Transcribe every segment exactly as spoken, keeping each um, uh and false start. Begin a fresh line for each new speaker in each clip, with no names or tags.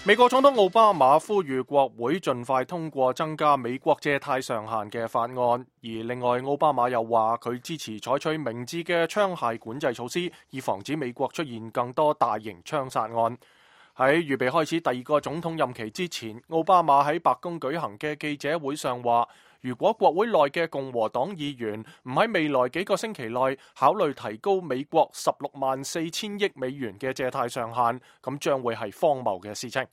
美國總統奧巴馬呼籲國會盡快通過增加美國借貸上限嘅法案，而另外奧巴馬又話佢支持採取明智嘅槍械管制措施，以防止美國出現更多大型槍殺案。喺預備開始第二個總統任期之前，奧巴馬喺白宮舉行嘅記者會上話，如果國會內嘅共和黨議員唔喺未來幾個星期內考慮提高美國十六萬四千億美元嘅借貸上限，咁將會係荒謬嘅事情。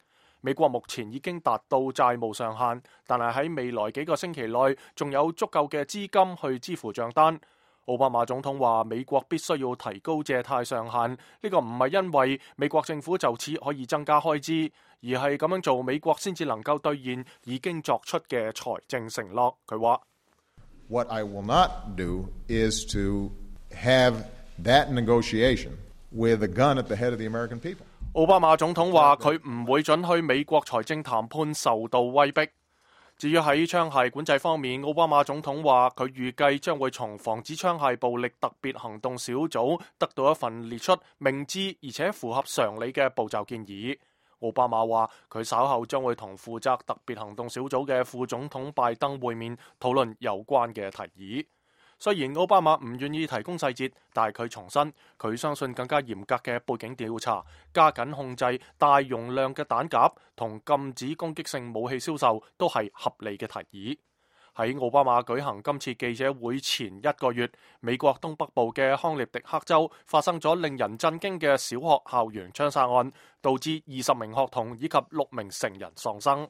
美國目前已經達到債務上限，但係喺未來幾個星期內仲有足夠嘅資金去支付賬單。奧巴馬總統話美國必須要提高借貸上限，呢個唔係因為美國政府就此可以增加開支，而係咁樣做美國先至能夠兌現已經作出嘅財政承諾。佢話
What I will not do is to have that negotiation with a gun at the head of the American people.
奧巴馬總統話佢唔會准許美國財政談判受到威逼。至於喺槍械管制方面，奧巴馬總統話佢預計將會從防止槍械暴力特別行動小組得到一份列出明智而且符合常理嘅步驟建議。奧巴馬話佢稍後將會同負責特別行動小組嘅副總統拜登會面，討論有關嘅提議。雖然奧巴馬唔願意提供細節，但係佢重申佢相信更加嚴格嘅背景調查、加緊控制大容量嘅彈夾同禁止攻擊性武器銷售都係合理嘅提議。喺奧巴馬舉行今次記者會前一個月，美國東北部嘅康涅狄克州發生咗令人震驚嘅小學校園槍殺案，導致二十名學童以及六名成人喪生。